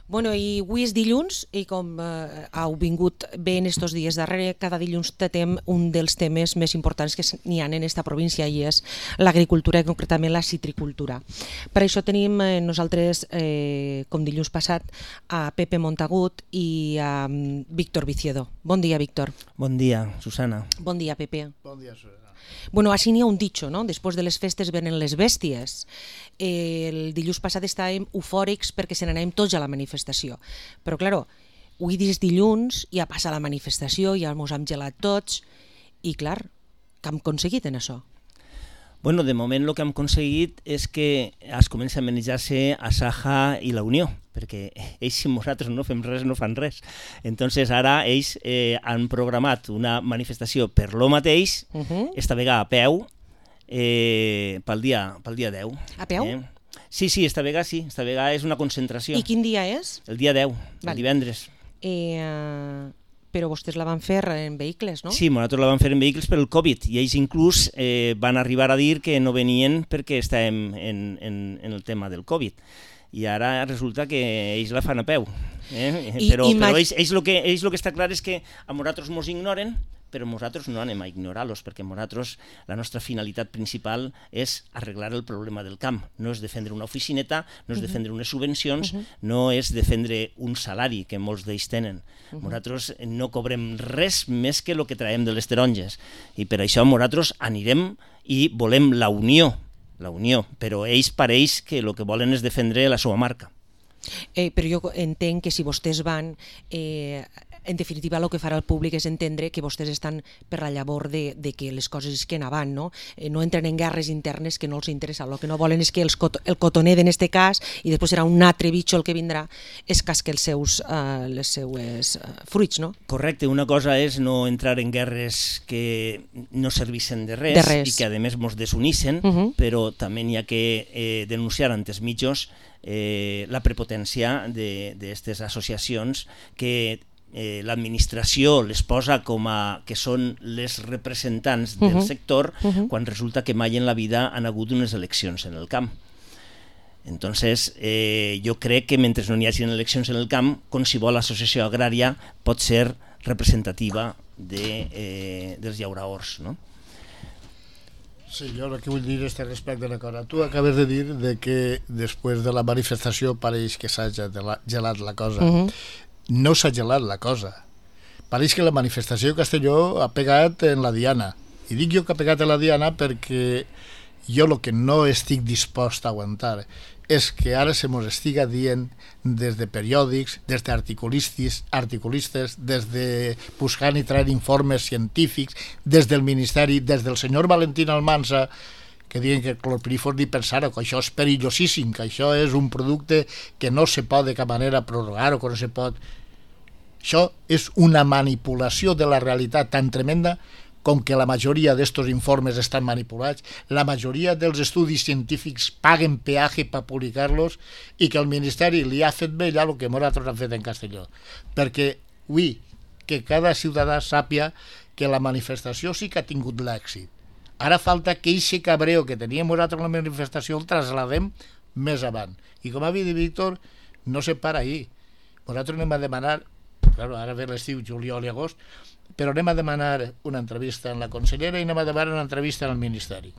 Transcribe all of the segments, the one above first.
Bueno, i avui és dilluns i com heu vingut bé en estos dies darrere, cada dilluns tratem un dels temes més importants que n'hi ha en esta província i és l'agricultura i concretament la citricultura. Per això tenim nosaltres, com dilluns passat, a Pepe Montagut i a Víctor Viciedo. Bon dia, Víctor. Bon dia, Susana. Bon dia, Pepe. Bon dia, Susana. Bueno, així n'hi ha un dicho, no? Després de les festes venen les bèsties. El dilluns passat estàvem eufòrics perquè se n'anàvem tots a la manifestació. Però, claro, avui és dilluns, ja passa la manifestació, ja mos hem gelat tots, i, clar, què hem aconseguit en això? Bueno, de moment el que hem aconseguit és que es comença a manejar-se a Saja i la Unió, perquè ells, si nosaltres no fem res, no fan res. Entonces ara ells han programat una manifestació per lo mateix, esta vegada a peu, pel dia 10. A peu? Sí, esta vegada sí, esta vegada és una concentració. I quin dia és? El dia 10, el divendres. Però vostès la van fer en vehicles, no? Sí, nosaltres la van fer en vehicles per el Covid i ells inclús van arribar a dir que no venien perquè estàvem en el tema del Covid. I ara resulta que ells la fan a peu. Però ells el que està clar és que a nosaltres mos ignoren, però nosaltres no anem a ignorar-los, perquè nosaltres la nostra finalitat principal és arreglar el problema del camp. No és defendre una oficineta, no és defendre unes subvencions, no és defendre un salari que molts d'ells tenen. Nosaltres no cobrem res més que el que traiem de les taronges. I per això nosaltres anirem i volem la unió, però ells pareix que el que volen és defendre la seva marca. Però jo entenc que si vostès van, en definitiva el que farà el públic és entendre que vostès estan per la llavor de que les coses isquen avant, no? No entren en guerres internes que no els interessa. El que no volen és que el cotoner, en este cas, i després serà un altre bitxo el que vindrà, es casque les seues fruits, no? Correcte, una cosa és no entrar en guerres que no servissen de res i que a més mos desunissin, però també hi ha que denunciar ante els mitjos la prepotència d'aquestes associacions que l'administració les posa com a que són les representants del sector quan resulta que mai en la vida han hagut unes eleccions en el camp. Entonces, jo crec que mentre no hi hagi eleccions en el camp, qualsevol associació agrària pot ser representativa dels llauraors, no? Sí, jo el que vull dir és respecte a la cosa. Tu acabes de dir que després de la manifestació pareix que s'ha gelat la cosa. No s'ha gelat la cosa. Pareix que la manifestació de Castelló ha pegat en la diana. I dic jo que ha pegat en la diana perquè jo el que no estic dispost a aguantar és que ara se mos estiga dient des de periòdics, des d'articulistes, des de buscar i traure informes científics, des del Ministeri, des del senyor Valentín Almansa, que diuen que el clorpirifos dispensar, que això és perillosíssim, que això és un producte que no se pot de cap manera prorrogar o que no se pot... Això és una manipulació de la realitat tan tremenda com que la majoria d'estos informes estan manipulats, la majoria dels estudis científics paguen peatge per publicar-los i que el Ministeri li ha fet bé ja el que nosaltres hem fet en Castelló. Perquè vull que cada ciutadà sàpia que la manifestació sí que ha tingut l'èxit. Ara falta que aquest cabreo que teníem nosaltres en la manifestació el trasladem més avant. I com ha dit Víctor, no se para ahir. Nosaltres anem a demanar, claro, ara ve l'estiu, juliol i agost, però anem a demanar una entrevista en la consellera i anem a demanar una entrevista en el Ministeri.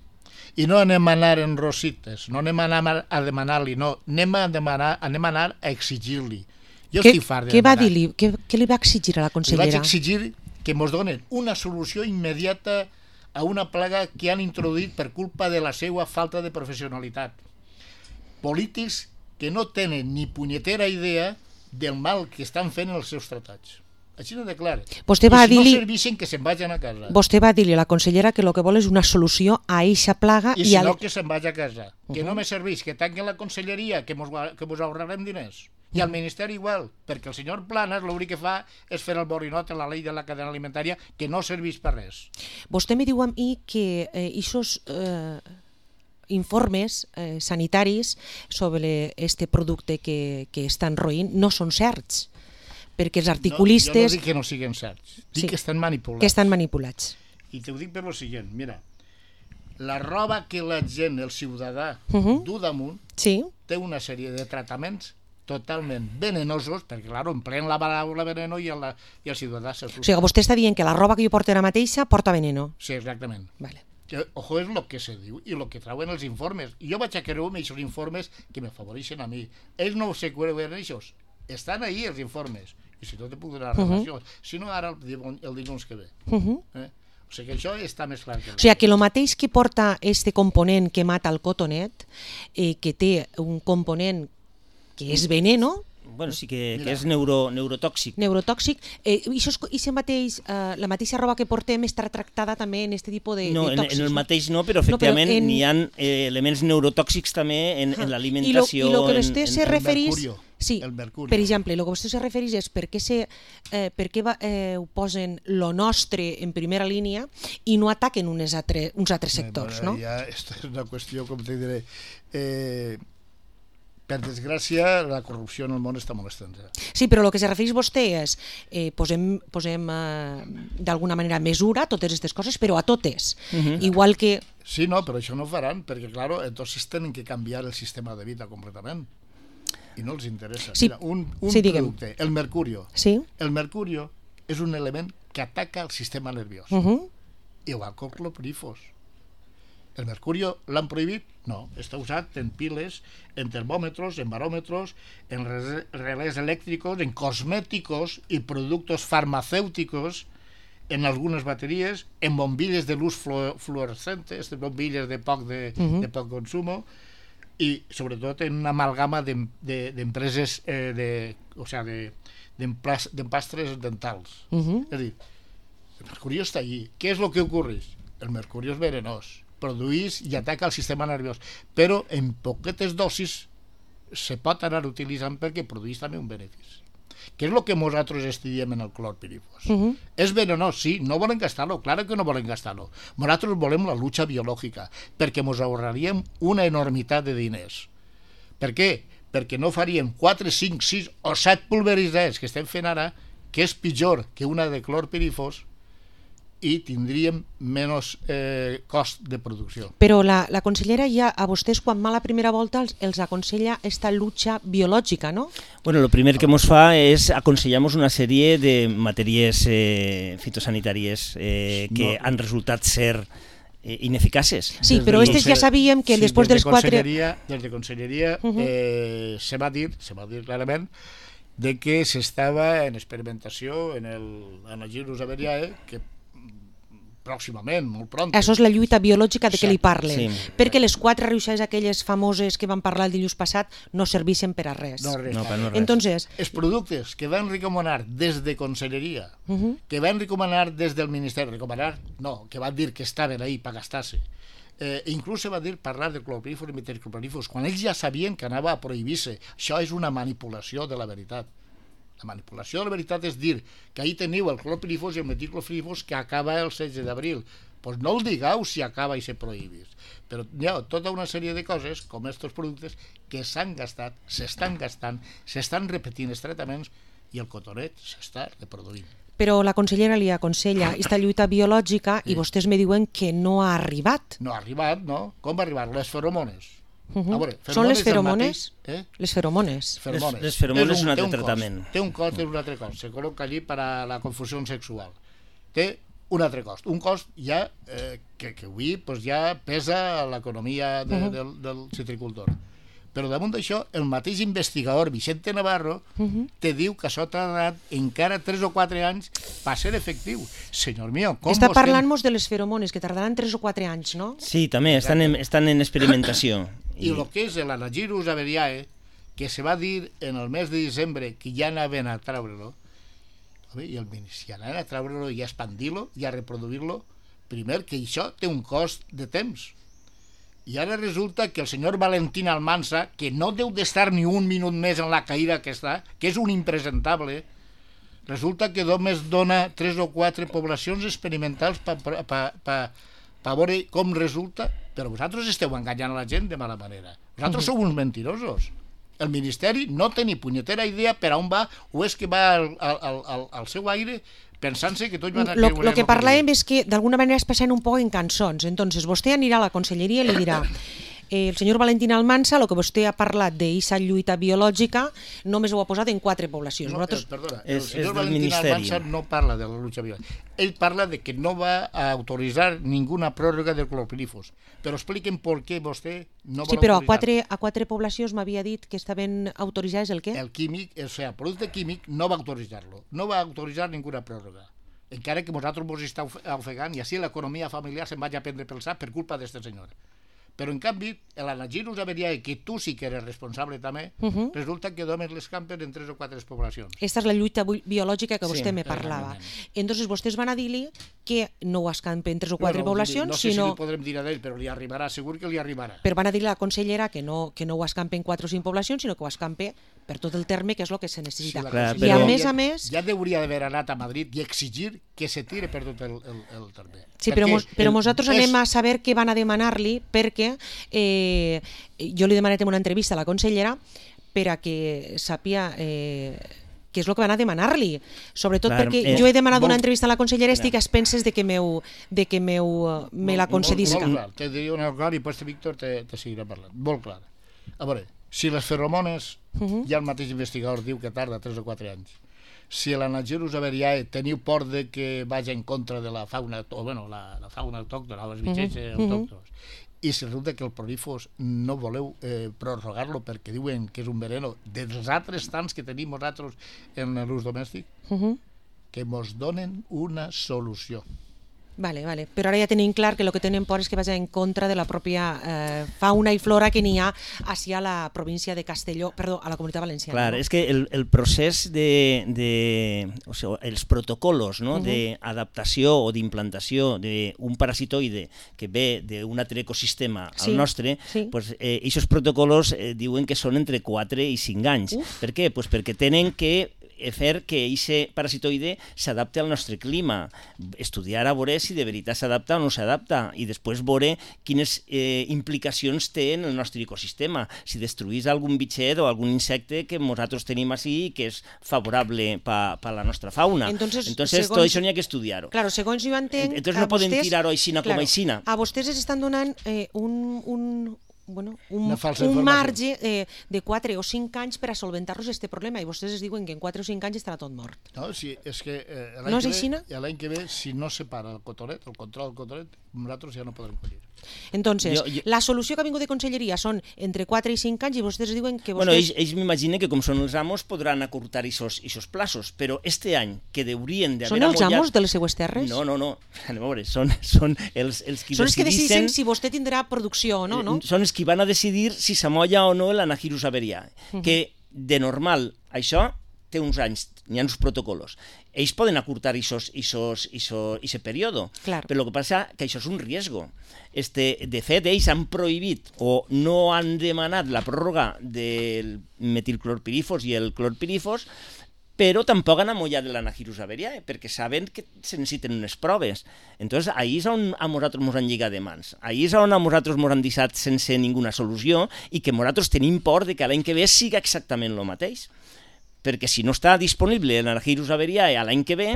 I no anem a anar en rosites, no anem a anar a demanar-li, no, anem a anar a exigir-li. Jo estic fart de demanar. Què li va exigir a la consellera? Li vaig exigir que ens donen una solució immediata a una plaga que han introduït per culpa de la seva falta de professionalitat. Polítics que no tenen ni punyetera idea del mal que estan fent els seus tractats. Així no de clar. I si no serveixen, que se'n vagin a casa. Vostè va dir-li a la consellera que el que vol és una solució a eixa plaga... I si no, que se'n vagi a casa. Que no me serveix, que tanquen la conselleria, que mos ahorrarem diners. I al Ministeri igual, perquè el senyor Planas l'únic que fa és fer el borinot en la llei de la cadena alimentària, que no serveix per res. Vostè me diu a mi que aquests informes sanitaris sobre este producte que estan roïnt no són certs, perquè els articulistes... Jo no dic que no siguin certs, dic que estan manipulats. Que estan manipulats. I t'ho dic per lo següent, mira, la roba que la gent, el ciutadà, du damunt, té una sèrie de tractaments totalment venenosos, perquè, clar, empleen la paraula veneno i el ciutadà O sigui, vostè està dient que la roba que jo porto ara mateixa porta veneno. Sí, exactament. Vale. Ojo, és el que se diu i el que trauen els informes. Jo vaig a creure amb aquests informes que m'afavoreixen a mi. Ells no se creuen aquests. Estan ahí els informes. I si no te puc donar relació. Si no, ara el dilluns que ve. O sigui que això està més clar que... O sigui que el mateix que porta este component que mata el cotonet, que té un component que és veneno... Bueno, sí que és neurotòxic. Neurotòxic. La mateixa roba que portem està tractada també en aquest tipus de No, en el mateix no, però efectivament n'hi ha elements neurotòxics també en l'alimentació. I el que vostè se referís... Sí, el mercuri. Per exemple, el que vostè se referís és per què ho posen lo nostre en primera línia i no ataquen uns altres sectors, no? Ja, aquesta és una qüestió, com te diré... Per desgràcia, la corrupció en el món està molt estesa. Sí, però el que se refereix vostè és posem d'alguna manera mesura a totes aquestes coses, però a totes. Igual que... Sí, no, però això no ho faran, perquè, clar, entonces tenen que canviar el sistema de vida completament. I no els interessa. Sí. Mira, un Sí, producte, el mercurio. Sí. El mercurio és un element que ataca el sistema nerviós. Igual que el clorpirifos. El mercurio l'han prohibit? No, està usat en piles, en termòmetres, en baròmetres, en relés elèctricos, en cosméticos i productos farmacèuticos, en algunes bateries, en bombilles de luz fluorescentes, bombilles de poc consumo, i sobretot en una amalgama d'empreses d'empastres dentals. És a dir, el mercurio està allí. Què és el que ocorreix? El mercurio és venenós, produeix i ataca el sistema nerviós, però en poquetes dosis se pot anar utilitzant perquè produeix també un benefici. Què és el que nosaltres estudiem en el clorpirifos? És venenós, sí, no volen gastar-lo, clar que no volen gastar-lo. Nosaltres volem la lucha biològica, perquè ens ahorraríem una enormitat de diners. Per què? Perquè no faríem 4, 5, 6 o 7 pulveritzades que estem fent ara, que és pitjor que una de clorpirifos, i tindríem menys cost de producció. Però la consellera ja a vostès quan va la primera volta els aconsella esta lucha biològica, no? Bueno, lo primer que ens fa és aconsellar-nos una sèrie de matèries fitosanitàries que han resultat ser ineficaces. Sí, però aquestes ja sabíem que després dels 4... Des de Conselleria se va dir clarament de que s'estava en experimentació en el Gyrus averiae, que pròximament, molt pront. Això és la lluita biològica de què li parlen. Sí. Perquè les 4 riuixades aquelles famoses que van parlar el dilluns passat no serveixen per a res. No, res. Entonces, els productes que van recomanar des de Conselleria, que van recomanar des del Ministeri, que van dir que estaven ahí per gastar-se, inclús se va dir parlar de clorpirifos i metilclorpirifos, quan ells ja sabien que anava a prohibir-se. Això és una manipulació de la veritat. La manipulació de la veritat és dir que ahí teniu el clorpirifos i el metilclorpirifos que acaba el 16 d'abril. Doncs no el digueu si acaba i se prohibís. Però hi ha tota una sèrie de coses, com aquests productes, que s'han gastat, s'estan gastant, s'estan repetint els tractaments i el cotonet s'està reproduint. Però la consellera li aconsella aquesta lluita biològica i vostès me diuen que no ha arribat. No ha arribat, no? Com va arribar? Les feromones. Són les feromones? Les feromones. Les feromones és un altre tractament. Té un cost, és un altre cost. Se col·loca allí per a la confusió sexual. Té un altre cost. Un cost ja que avui ja pesa l'economia del citricultor. Però damunt d'això, el mateix investigador Vicente Navarro te diu que això t'ha donat encara 3 o 4 anys per ser efectiu. Senyor mío, com està parlant-nos de les feromones, que tardaran 3 o 4 anys, no? Sí, també, estan en experimentació. I el que és l'Anagyrus averiae, que se va dir en el mes de desembre que ja anaven a treure-lo, i si anaven a treure-lo i a expandir-lo i a reproduir-lo, primer que això té un cost de temps. I ara resulta que el senyor Valentín Almansa, que no deu d'estar ni un minut més en la caïda que està, que és un impresentable, resulta que només dona 3 o 4 poblacions experimentals per veure com resulta. Però vosaltres esteu enganyant a la gent de mala manera. Vosaltres sou uns mentirosos. El Ministeri no té ni punyetera idea per on va, o és que va al seu aire pensant-se que tots van a creure... Lo que parlàvem és que d'alguna manera es passant un poc en cançons. Entonces, vostè anirà a la conselleria i li dirà el senyor Valentín Almansa, el que vostè ha parlat d'eixa lluita biològica, només ho ha posat en 4 poblacions. No, Nosaltres... perdona, el senyor del Valentín Ministeri. Almansa no parla de la lucha biològica. Ell parla de que no va a autorizar ninguna pròrroga del clorpirifos. Però expliquen per què vostè no vol Sí, però autorizar. a 4 poblacions m'havia dit que estaven autoritzades el què? El químic, o sea, el producte químic no va autoritzar-lo. No va autoritzar ninguna pròrroga. Encara que nosaltres ens està ofegant i així l'economia familiar se'n vagi a prendre pel sac per culpa d'este senyor. Però en canvi, l'Anagirus averiae, que tu sí que eres responsable també, resulta que dones les campes en 3 o 4 poblacions. Esta és la lluita biològica que vostè Sí, me parlava. exactament. Entonces vostès van a dir-li que no ho escampen en 3 o 4 Bueno, poblacions, no sé sinó... si li podrem dir a ell, però li arribarà, segur que li arribarà. Però van a dir a la consellera que no ho escampe en 4 o 5 poblacions, sinó que ho escampe per tot el terme, que és el que se necessita. la Clar, I a però- més a més... Ja hauria d'haver anat a Madrid i exigir que se tire per tot el terme. Sí, però nosaltres anem a saber què van a demanar-li, perquè jo li he demanat en una entrevista a la consellera per a que sàpia què és el que van a demanar-li. Sobretot Clar, perquè jo he demanat una molt- entrevista a la consellera i estic a expenses de que me la concedisca. Molt clar, te diria una cosa i després Víctor te seguirà parlant. Molt clar. A veure, si les feromones, ja el mateix investigador diu que tarda 3 o 4 anys. Si l'Anagirus averiae teniu por de que vagi en contra de la fauna, o bueno, la fauna autòctona, els bitxets autòctons, i si resulta que el prolifos no voleu prorrogar-lo perquè diuen que és un veneno dels altres tants que tenim nosaltres en l'ús domèstic, que mos donen una solució. Vale. Però ara ja tenim clar que el que tenen por és que vagi en contra de la pròpia fauna i flora que n'hi ha hacia la província de Castelló, perdó, a la Comunitat Valenciana. Clar, no? és que el procés o sigui, els protocolos, no, d'adaptació o d'implantació d'un parasitoide que ve d'un altre ecosistema Sí, al nostre, sí. pues, aquests protocolos diuen que són entre 4 i 5 anys. Per què? Pues perquè tenen que fer que aquest parasitoide s'adapti al nostre clima, estudiar a veure si de veritat s'adapta o no s'adapta i després veure quines implicacions té en el nostre ecosistema, si destruís algun bitxet o algun insecte que nosaltres tenim així i que és favorable per la nostra fauna. Entonces, tot això n'hi ha que estudiar-ho. Claro, segons jo entenc... Entonces no podem tirar-ho aixina com aixina. A vostès els estan donant un Una falsa un informació. marge de 4 o 5 anys per a solventar-los aquest problema i vostès es diuen que en 4 o 5 anys estarà tot mort. No, sí, és que No és aixina? l'any que ve, si no se para el cotonet, el control del cotonet, nosaltres ja no podrem collir. Entonces, Jo- la solució que ha vingut de conselleria són entre 4 i 5 anys i vostès diuen que Bueno, vostès... ells m'imaginen que com són els amos podran acurtar aquests plaços, però este any que haurien d'haver Són els amollat... amos de les seues terres? No, anem a veure, són els qui Són els que decidixen... decideixen si vostè tindrà producció o no, no? Són els qui van a decidir si s'amolla o no l'Anagirus averiae, que de normal això té uns anys, n'hi ha uns protocolos. Ells poden acurtar aquest període, Clar. però el que passa que això és un riesgo. De fet, ells han prohibit o no han demanat la pròrroga del metilclorpirifos i el clorpirifos, però tampoc han amollat l'Anagirus averiae, perquè saben que se necessiten unes proves. Entonces, ahí és on a nosaltres ens han lligat de mans. Ahí és on a nosaltres ens han deixat sense ninguna solució i que nosaltres tenim por de que l'any que ve siga exactament el mateix. Perquè si no està disponible l'Anagirus averiae a l'any que ve,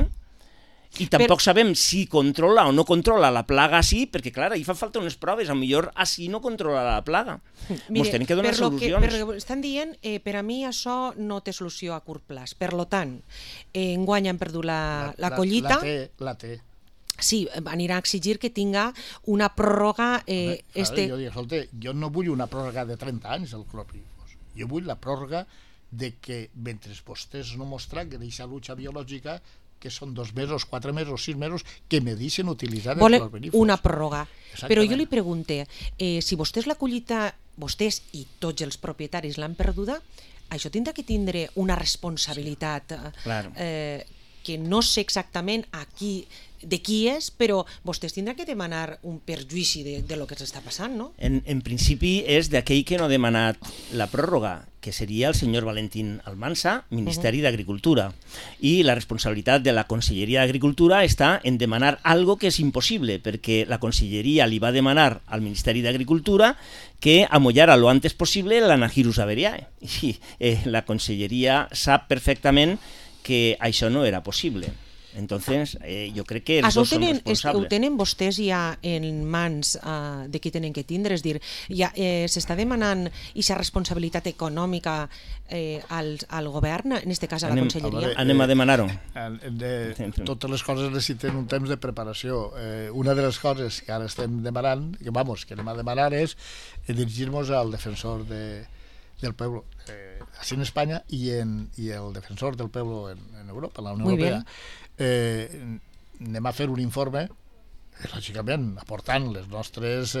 i tampoc sabem si controla o no controla la plaga així, perquè clar, hi fa falta unes proves, a millor així no controla la plaga. Ens tenim que donar solucions. Per lo que estan dient, per a mi això no té solució a curt plaç. Per lo tant, enguany han perdut la collita. La té. Sí, anirà a exigir que tinga una pròrroga... Jo dic, escolta, jo no vull una pròrroga de 30 anys al clorpirifos. Jo vull la pròrroga de que, mentre vostès no mostren que d'aquesta lucha biològica, que són 2 mesos, 4 mesos, 6 mesos, que me deixen utilitzar el clorpirifos. Una pròrroga. Exactament. Però jo li pregunte, si vostès la collita, vostès i tots els propietaris l'han perduda, això tindrà que tindre una responsabilitat Claro. que no sé exactament de qui és, però vostès tindran que demanar un perjuïci de lo que s'està passant, no? En principi és d'aquell que no ha demanat la pròrroga, que seria el senyor Valentín Almansa, Ministeri d'Agricultura. I la responsabilitat de la Conselleria d'Agricultura està en demanar algo que és impossible, perquè la Conselleria li va demanar al Ministeri d'Agricultura que amollara lo antes possible l'Anagirus averiae. I la Conselleria sap perfectament que això no era possible. Entonces, jo crec que els dos són responsables. Ho tenen vostès ja en mans de qui tenen que tindre? És dir, ja s'està demanant aquesta responsabilitat econòmica al govern, en aquest cas a la Conselleria? Anem a demanar-ho. Totes les coses necessiten un temps de preparació. Una de les coses que ara estem demanant, que anem a demanar, és dirigir-nos al defensor del pueblo, així en Espanya, i el defensor del pueblo en Europa, en la Unió Europea. Anem a fer un informe, lògicament aportant les nostres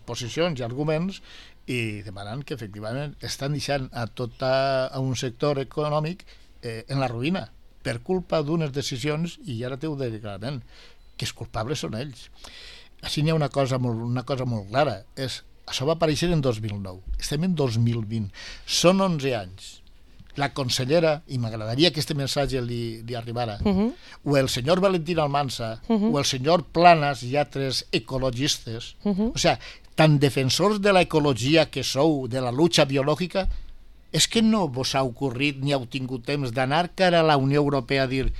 posicions i arguments, i demanant que efectivament estan deixant a un sector econòmic en la ruïna per culpa d'unes decisions, i ara t'ho diré clarament, que els culpables són ells. Així n'hi ha una cosa molt clara, això va aparèixer en 2009, estem en 2020, són 11 anys. La consellera, i m'agradaria que aquest missatge li arribara, o el senyor Valentín Almansa, o el senyor Planas i altres ecologistes, o sigui, tan defensors de l'ecologia que sou, de la lucha biològica, és que no vos ha ocorrit ni heu tingut temps d'anar cara a la Unió Europea a dir: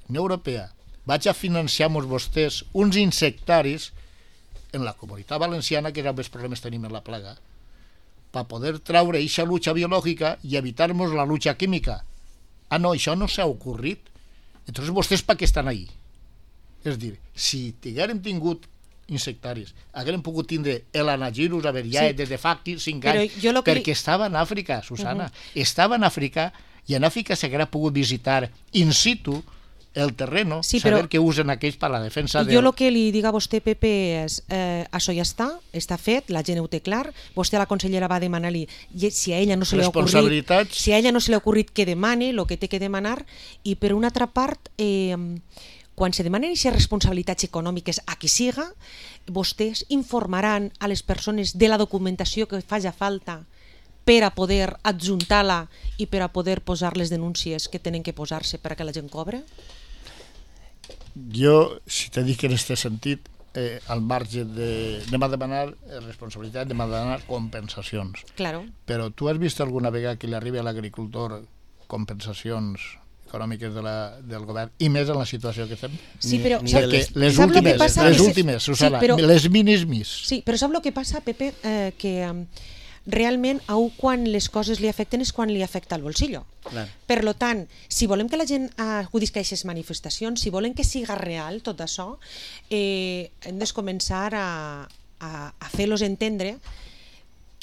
Unió Europea, vaig a financiar-vos vostès uns insectaris en la Comunitat Valenciana, que és on més problemes tenim en la plaga, per poder traure aquesta lucha biològica i evitar-nos la lucha química. Ah, no, això no s'ha ocorrit. Entonces vostès per què estan ahí? És dir, si haguérem tingut insectaris, haguérem pogut tindre l'anagirus averiae des de fa 5 anys, perquè estava en Àfrica, Susana, estava en Àfrica, i en Àfrica s'haguera pogut visitar in situ el terreno, saber que usen aquells per la defensa Jo el que li dic a vostè, Pepe, és això ja està fet, la gent ho té clar, vostè a la consellera va demanar-li si a ella no se li ha ocorrit que demane el que té que demanar, i per una altra part, quan se demanen aquestes responsabilitats econòmiques a qui siga, vostès informaran a les persones de la documentació que faci falta per a poder adjuntar-la i per a poder posar les denúncies que tenen que posar-se perquè la gent cobre? Jo, si te dic en aquest sentit, al marge anem a demanar responsabilitat, anem a demanar compensacions. Claro. Però tu has vist alguna vegada que li arribi a l'agricultor compensacions econòmiques del govern, i més en la situació que estem? Sí, però les últimes, Susana, les mínimes. Sí, però sap el que passa, Pepe? Que realment a quan les coses li afecten és quan li afecta el bolsillo. Per tant, si volem que la gent acudisca a aquestes manifestacions, si volem que siga real tot això, hem de començar a fer-los entendre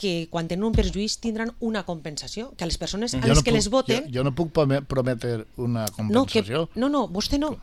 que quan tenen un perjuís tindran una compensació, que a les persones a les que les voten... Jo no puc prometre una compensació. No, vostè no,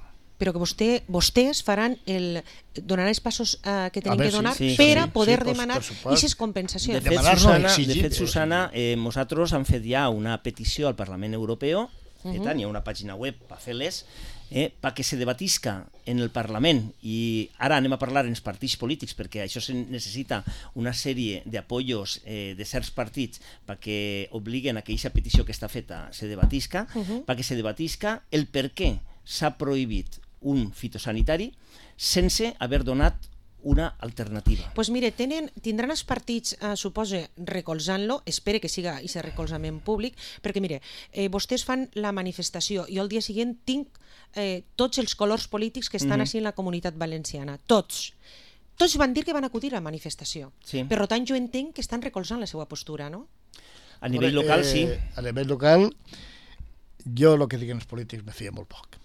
però que vostès donaran els passos que tenen que donar per a poder demanar aquestes compensacions. De fet, Susana, nosaltres hem fet ja una petició al Parlament Europeu, hi ha una pàgina web per fer-les, perquè se debatisca en el Parlament, i ara anem a parlar en els partits polítics, perquè això necessita una sèrie d'apoyos de certs partits perquè obliguen a que aquesta petició que està feta se debatisca, perquè se debatisca el per què s'ha prohibit un fitosanitari sense haver donat una alternativa. Doncs mire, tindran els partits, suposa, recolzant-lo, espere que siga aquest recolzament públic, perquè mire, vostès fan la manifestació, jo el dia següent tinc tots els colors polítics que estan així en la Comunitat Valenciana, tots van dir que van acudir a la manifestació. Per tant, jo entenc que estan recolzant la seva postura, no? A nivell local, sí. A nivell local, jo el que diuen els polítics me fia molt poc.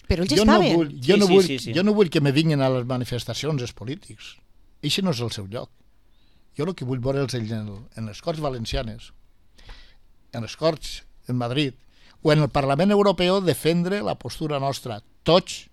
Però ells estaven. Jo no vull que me vinguin a les manifestacions els polítics. Això no és el seu lloc. Jo el que vull veure és en les Corts Valencianes, en les Corts en Madrid, o en el Parlament Europeu defendre la postura nostra, tots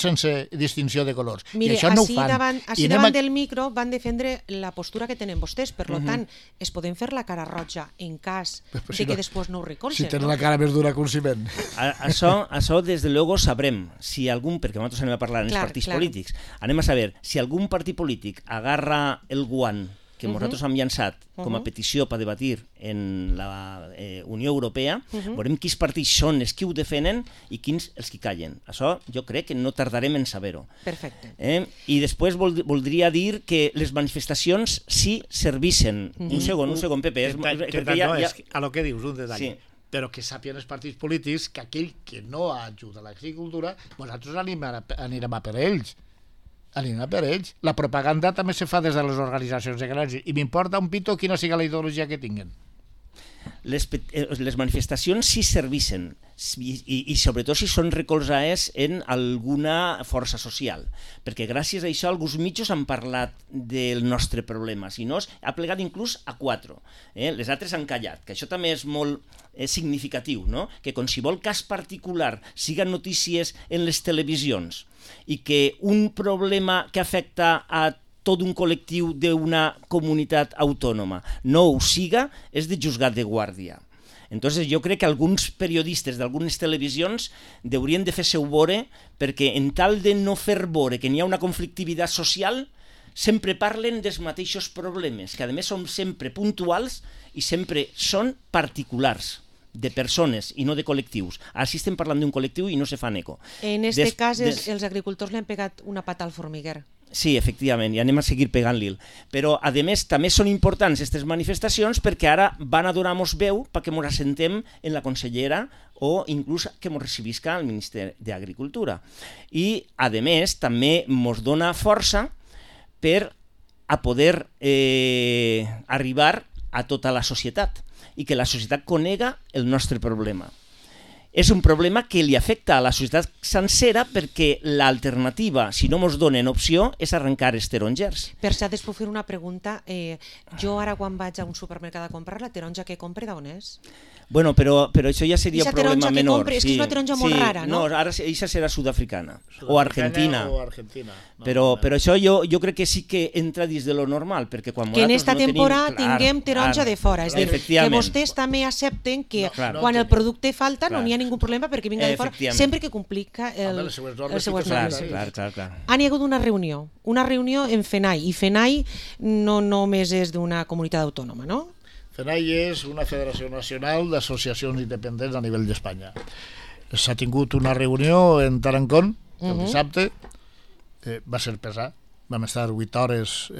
sense distinció de colors. Mire, i això no ho fan. Així davant del micro van defendre la postura que tenen vostès, per tant, es poden fer la cara roja en cas de que després no ho recolzen. Si tenen la cara més dura que un ciment. Això, des de luego, sabrem si algun, perquè nosaltres anem a parlar en els partits polítics, anem a saber si algun partit polític agarra el guant que nosaltres hem llançat com a petició per debatir en la Unió Europea, veurem quins partits són els que ho defenen i quins els que callen. Això jo crec que no tardarem en saber-ho. Perfecte. I després voldria dir que les manifestacions sí servissen. Un segon, Pepe. A lo que dius, un detall. però que sàpien els partits polítics que aquell que no ajuda a l'agricultura, nosaltres anirem a per ells. La propaganda també se fa des de les organitzacions de grans i m'importa un pito quina sigui la ideologia que tinguen. Les manifestacions sí serveixen i sobretot si són recolzades en alguna força social, perquè gràcies a això alguns mitjos han parlat del nostre problema, si no ha plegat inclús a 4, les altres han callat, que això també és molt significatiu, no? Que qualsevol cas particular siga notícies en les televisions i que un problema que afecta a tot un col·lectiu d'una comunitat autònoma no ho siga, és de juzgat de guàrdia. Entonces jo crec que alguns periodistes d'algunes televisions haurien de fer-se-ho veure, perquè en tal de no fer veure que n'hi ha una conflictivitat social, sempre parlen dels mateixos problemes, que a més són sempre puntuals i sempre són particulars de persones i no de col·lectius. Ara sí estem parlant d'un col·lectiu i no se fan eco. En aquest cas els agricultors li han pegat una pata al formiguer. Sí, efectivament, i anem a seguir pegant-li. Però, a més, també són importants aquestes manifestacions perquè ara van a donar-nos veu perquè ens assentem en la consellera o inclús que ens recibisca el Ministeri d'Agricultura. I, a més, també ens dona força per a poder arribar a tota la societat i que la societat conega el nostre problema. És un problema que li afecta a la societat sencera perquè l'alternativa, si no ens donen opció, és arrencar els tarongers. Per cert, es puc fer una pregunta. Jo ara quan vaig a un supermercat a comprar, la taronja que compre d'on és? Bueno, però això ja seria un problema menor. És que és una taronja molt rara, no? No, ara això serà sud-africana o argentina. No, però això jo crec que sí que entra dins de lo normal, perquè quan que en esta temporada tinguem taronja de fora, és a dir, que vostès també accepten que quan el producte falta no n'hi ha ningú problema perquè vinga de fora, sempre que complica les seues normes. Clar. Han hi hagut una reunió en FENAI, i FENAI no només és d'una comunitat autònoma, no? FENAI és una federació nacional d'associacions independents a nivell d'Espanya. S'ha tingut una reunió en Tarancón el dissabte, va ser pesat, vam estar 8 hores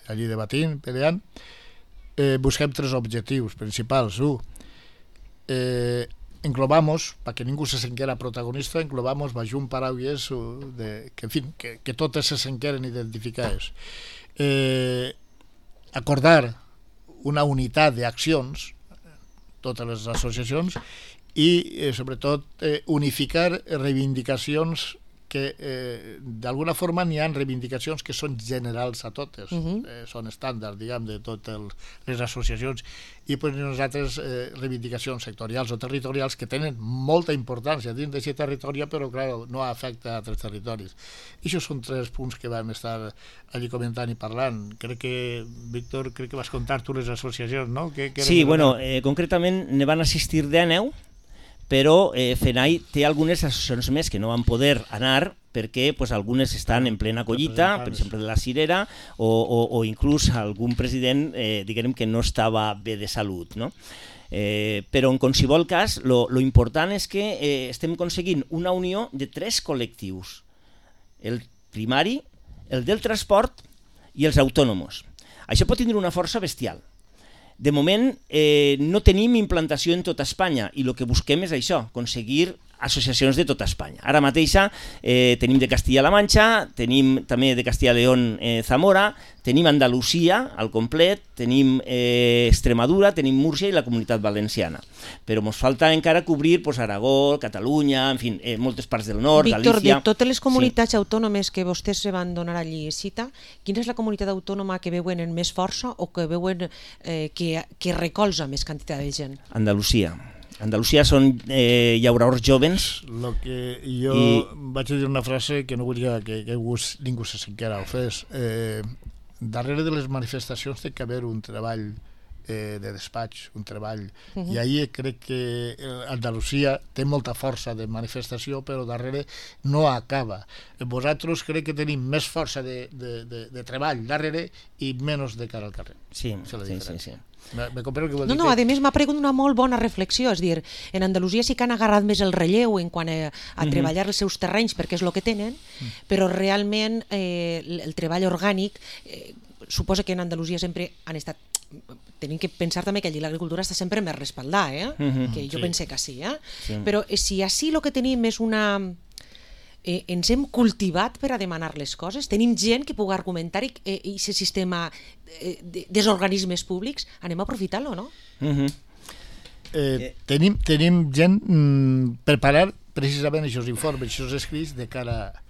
allí debatint, peleant. Busquem 3 objectius principals. Englobamos, perquè ningú se senquera protagonista, englobamos baix un paraules que totes se senqueren identificades. Acordar una unitat d'accions, totes les associacions, i sobretot unificar reivindicacions que d'alguna forma n'hi ha reivindicacions que són generals a totes, són estàndards, diguem, de totes les associacions, i nosaltres reivindicacions sectorials o territorials que tenen molta importància dins d'aquest territori, però clar, no afecta a altres territoris. I això són 3 punts que vam estar allí comentant i parlant. Crec que, Víctor, vas contar tu les associacions, no? Sí, bueno, concretament ne van assistir 19, però FENAI té algunes associacions més que no van poder anar perquè algunes estan en plena collita, per exemple de la Cirera, o inclús algun president diguem que no estava bé de salut, no? Però en qualsevol cas lo important és que estem aconseguint una unió de 3 col·lectius: el primari, el del transport i els autònoms. Això pot tenir una força bestial. De moment no tenim implantació en tota Espanya i el que busquem és això, aconseguir associacions de tota Espanya. Ara mateixa tenim de Castilla-La Manxa, tenim també de Castilla-León Zamora, tenim Andalusia al complet, tenim Extremadura, tenim Múrcia i la Comunitat Valenciana. Però ens falta encara cobrir Aragó, Catalunya, en fi, moltes parts del nord, Víctor, Galícia... de totes les comunitats autònomes que vostès se van donar allí cita, quina és la comunitat autònoma que veuen en més força o que veuen que recolza més quantitat de gent? Andalusia. Andalusia són llauradors jovens. Lo que jo vaig dir una frase que no vull que ningú se senquera ofès. Darrere de les manifestacions té que haver un treball de despatx, un treball. I ahir crec que Andalusia té molta força de manifestació, però darrere no acaba. Vosaltres crec que tenim més força de treball darrere i menys de cara al carrer. Sí. Me compreu que vol dir no, a més m'ha pregut una molt bona reflexió, és dir, en Andalusia sí que han agarrat més el relleu en quant a treballar els seus terrenys perquè és el que tenen, però realment el treball orgànic suposa que en Andalusia sempre han estat tenim que pensar també que allí l'agricultura està sempre més respaldada, que jo pense que sí. Però si així el que tenim és una... ens hem cultivat per a demanar les coses, tenim gent que pugui argumentar i aquest sistema dels organismes públics, anem a aprofitar-lo, no? Tenim gent preparar precisament aquests informes, aquests escrits de cara a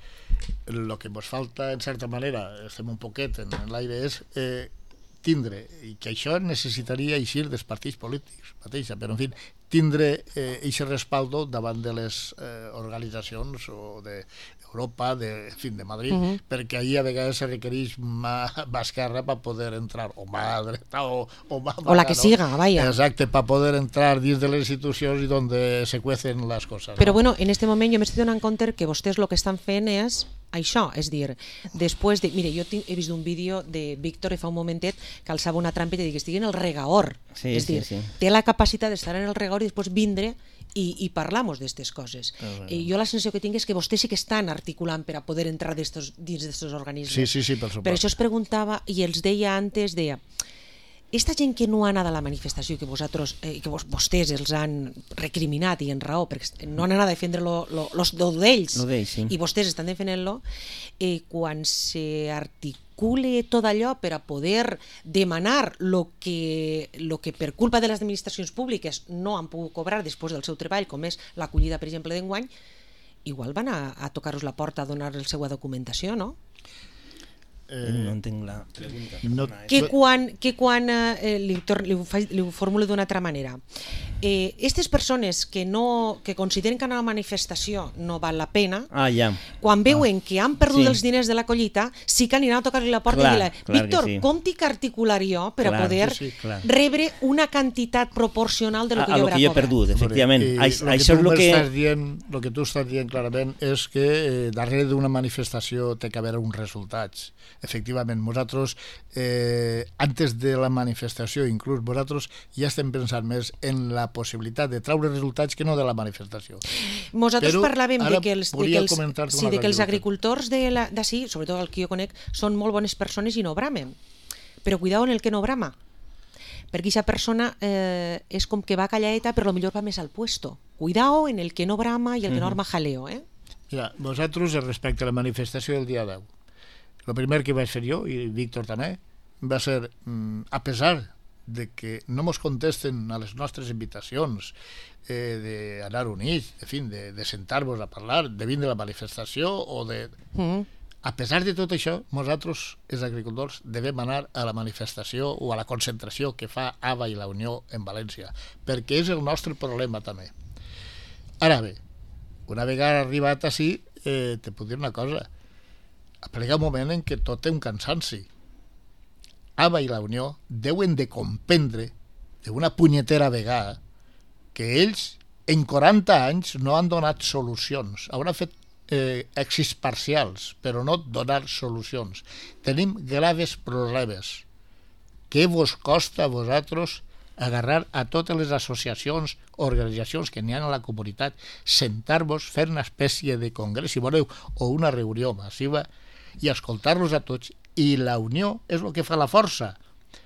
el que ens falta, en certa manera, estem un poquet en l'aire, és tindre, i que això necessitaria eixir dels partits polítics mateixa, però en fi, tindre aquest respaldo davant de les organitzacions o d'Europa, en fi, de Madrid, perquè ahir a vegades se requereix mà esquerra per poder entrar, o mà dreta, o mà o la que siga, vaya. Exacte, per poder entrar dins de les institucions i on se cuecen les coses. Però bueno, en este moment jo m'estic donant compte que vostès el que estan fent és això, és dir, després de... Mira, jo he vist un vídeo de Víctor fa un momentet que alçava una trampa i te dic que estigui en el regaor, és dir, té la capacitat d'estar en el regaor i després vindre i parlamos d'aquestes coses. Jo la sensació que tinc és que vostès sí que estan articulant per a poder entrar dins d'aquests organismes. Sí, per supost. Per això es preguntava, i els deia antes, esta gent que no ha anat a la manifestació, que vostès els han recriminat i en raó, perquè no han anat a defendre los d'ells, i vostès estan defendent-lo, quan s'articule tot allò per a poder demanar lo que per culpa de les administracions públiques no han pogut cobrar després del seu treball, com és l'acollida, per exemple, d'enguany, igual van a tocar-vos la porta a donar la seva documentació, no? No entenc la pregunta. Que quan li ho formulo d'una altra manera, aquestes persones que consideren que una manifestació no val la pena, quan veuen que han perdut els diners de la collita, sí que aniran a tocar-li la porta i dir, Víctor, com tinc que articular jo per a poder rebre una quantitat proporcional de lo que jo haurà perdut, efectivament. El que tu estàs dient clarament és que darrere d'una manifestació té que haver uns resultats. Efectivament, nosaltres, antes de la manifestació, inclús nosaltres ja estem pensant més en la possibilitat de treure resultats que no de la manifestació. Nosaltres parlàvem de que els agricultors d'ací, sobretot el que jo conec, són molt bones persones i no bramen. Però cuidao en el que no brama, perquè aquesta persona és com que va calladeta però potser va més al puesto. Cuidao en el que no brama i el que no arma jaleo. Mira, nosaltres, respecte a la manifestació del dia 10, el primer que vaig fer jo, i Víctor també, va ser, a pesar de que no ens contesten a les nostres invitacions d'anar units, en fi, de sentar-nos a parlar, de vindre a la manifestació o de... A pesar de tot això, nosaltres, els agricultors, devem anar a la manifestació o a la concentració que fa ABA i la Unió en València, perquè és el nostre problema també. Ara bé, una vegada arribat així, te puc dir una cosa, aplega un moment en què tot té un cansanci. ABA i la Unió deuen de comprendre d'una punyetera vegada que ells en 40 anys no han donat solucions. Hauran fet èxits parcials, però no donar solucions. Tenim graves problemes. Què vos costa a vosaltres agarrar a totes les associacions, organitzacions que n'hi ha a la comunitat, sentar-vos, fer una espècie de congrés, si voleu, o una reunió massiva, i escoltar-los a tots, i la unió és el que fa la força,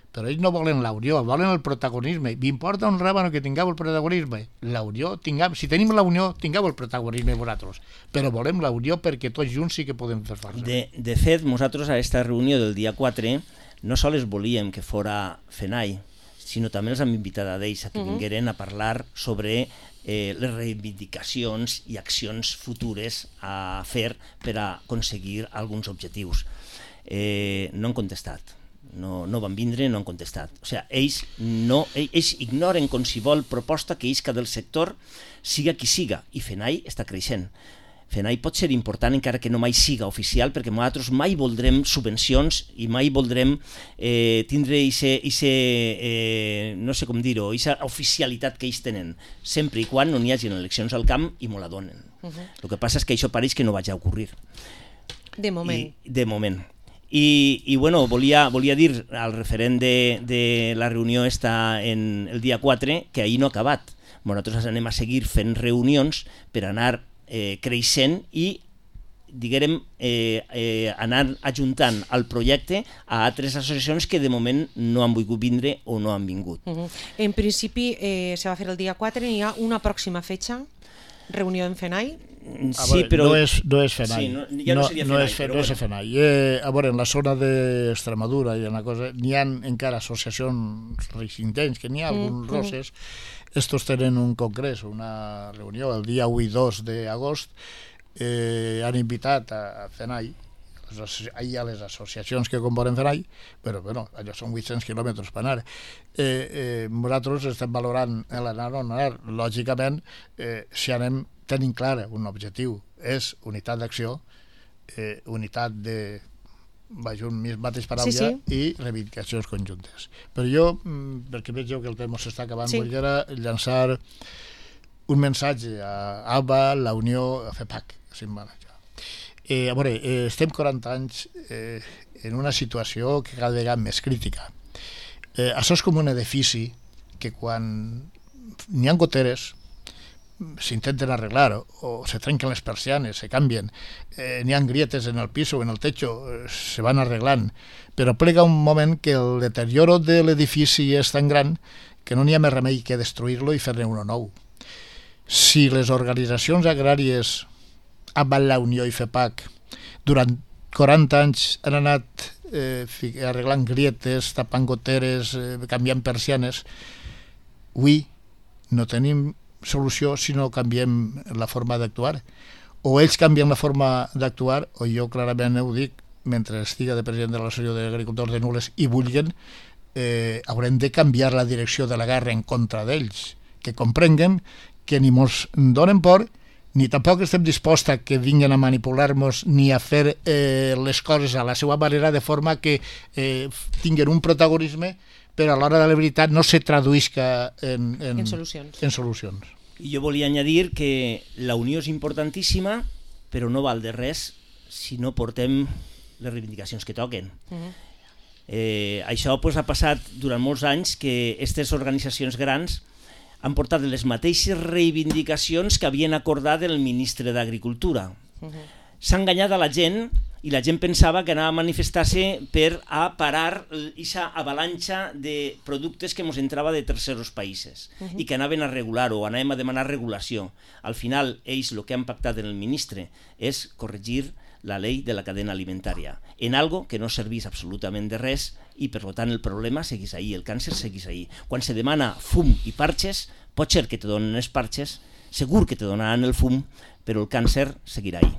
però ells no volen la unió, volen el protagonisme. M'importa un ràbano que tingueu el protagonisme, la unió, si tenim la unió, tingueu el protagonisme vosaltres, però volem la unió perquè tots junts sí que podem fer força. De fet, nosaltres a aquesta reunió del dia 4 no sols volíem que fora FENAI, sinó també els hem invitat a ells a que vingueren a parlar sobre les reivindicacions i accions futures a fer per a aconseguir alguns objectius. No han contestat, no van vindre, no han contestat. O sigui, ells ignoren qualsevol proposta que isca del sector, siga qui siga, i FENAI està creixent. FENAI pot ser important encara que no mai siga oficial, perquè nosaltres mai voldrem subvencions i mai voldrem tindre no sé com dir-ho, aquesta oficialitat que ells tenen, sempre i quan no n'hi hagi eleccions al camp i me la donen. El que passa és que això pareix que no vaig a ocorrir. De moment. De moment. I bueno, volia dir al referent de la reunió el dia 4 que ahir no ha acabat. Nosaltres anem a seguir fent reunions per anar creixent i diguérem, anar ajuntant al projecte a altres associacions que de moment no han volgut vindre o no han vingut. En principi se va fer el dia 4, hi ha una pròxima fecha, reunió en FENAI. Sí, però... No és FENAI. Sí, ja no seria FENAI. No és FENAI. A veure, en la zona d'Extremadura hi ha una cosa, n'hi ha encara associacions reixintents, que n'hi ha alguns roses. Estos tenen un congrés, una reunió, el dia 1 i 2 d'agost. Han invitat a FENAI, hi ha les associacions que componen FENAI, però bueno, allò són 800 quilòmetres per anar. Nosaltres estem valorant l'anar o no anar. Lògicament, si anem tenint clar un objectiu, és unitat d'acció, unitat de mateix paraula i reivindicacions conjuntes. Però jo, perquè veig que el temps s'està acabant, volia llançar un missatge a ABBA, la Unió, a FEPAC. A veure, estem 40 anys en una situació que cada vegada més crítica. Això és com un edifici que quan n'hi ha goteres s'intenten arreglar o se trenquen les persianes, se canvien, n'hi ha grietes en el pis o en el techo, se van arreglant, però plega un moment que el deterioro de l'edifici és tan gran que no n'hi ha més remei que destruir-lo i fer-ne uno nou. Si les organitzacions agràries amb la Unió i FEPAC durant 40 anys han anat arreglant grietes, tapant goteres, canviant persianes, avui no tenim solució si no canviem la forma d'actuar. O ells canvien la forma d'actuar, o jo clarament ho dic, mentre estiga de president de l'Associació d'Agricultors de Nules i vulguin, haurem de canviar la direcció de la guerra en contra d'ells, que comprenguen que ni mos donen por, ni tampoc estem disposats a que vinguin a manipular-nos ni a fer les coses a la seva manera, de forma que tinguin un protagonisme però a l'hora de la veritat no se traduïsca en solucions. I jo volia añadir que la unió és importantíssima, però no val de res si no portem les reivindicacions que toquen. Això ha passat durant molts anys que aquestes organitzacions grans han portat les mateixes reivindicacions que havien acordat el ministre d'Agricultura. S'ha enganyat a la gent i la gent pensava que anava a manifestar-se per a parar aquesta avalanxa de productes que ens entrava de terceros països i que anaven a regular o anàvem a demanar regulació. Al final, ells el que han pactat en el ministre és corregir la llei de la cadena alimentària en algo que no servís absolutament de res i per tant el problema seguís ahí, el càncer seguís ahí. Quan se demana fum i parxes, pot ser que te donen els parxes, segur que te donaran el fum, però el càncer seguirà ahí.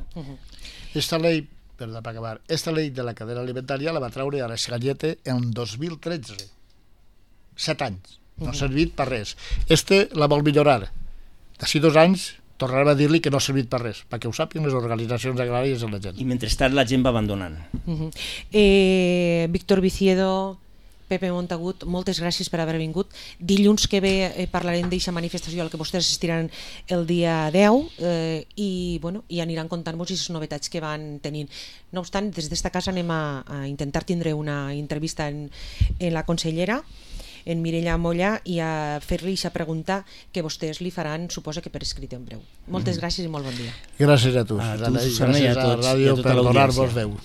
Esta ley, perdó, para acabar, esta ley de la cadena alimentaria la va traure a l'Esgallete en 2013. 7 anys. No ha servit per res. La vol millorar. D'ací 2 anys tornarem a dir-li que no ha servit per res, perquè ho sàpiguen les organitzacions agràries i la gent. I mentrestant la gent va abandonant. Víctor Viciedo, Pepe Montagut, moltes gràcies per haver vingut. Dilluns que ve parlarem d'aquesta manifestació a la que vostès assistiran el dia 10 i aniran contant-vos aquestes novetats que van tenint. No obstant, des d'esta casa anem a intentar tindre una entrevista en la consellera, en Mireia Molla, i a fer-li aquesta pregunta que vostès li faran, suposa que per escrit en breu. Moltes gràcies i molt bon dia. Gràcies a tu, Susana, i gràcies a la ràdio per donar-vos veu.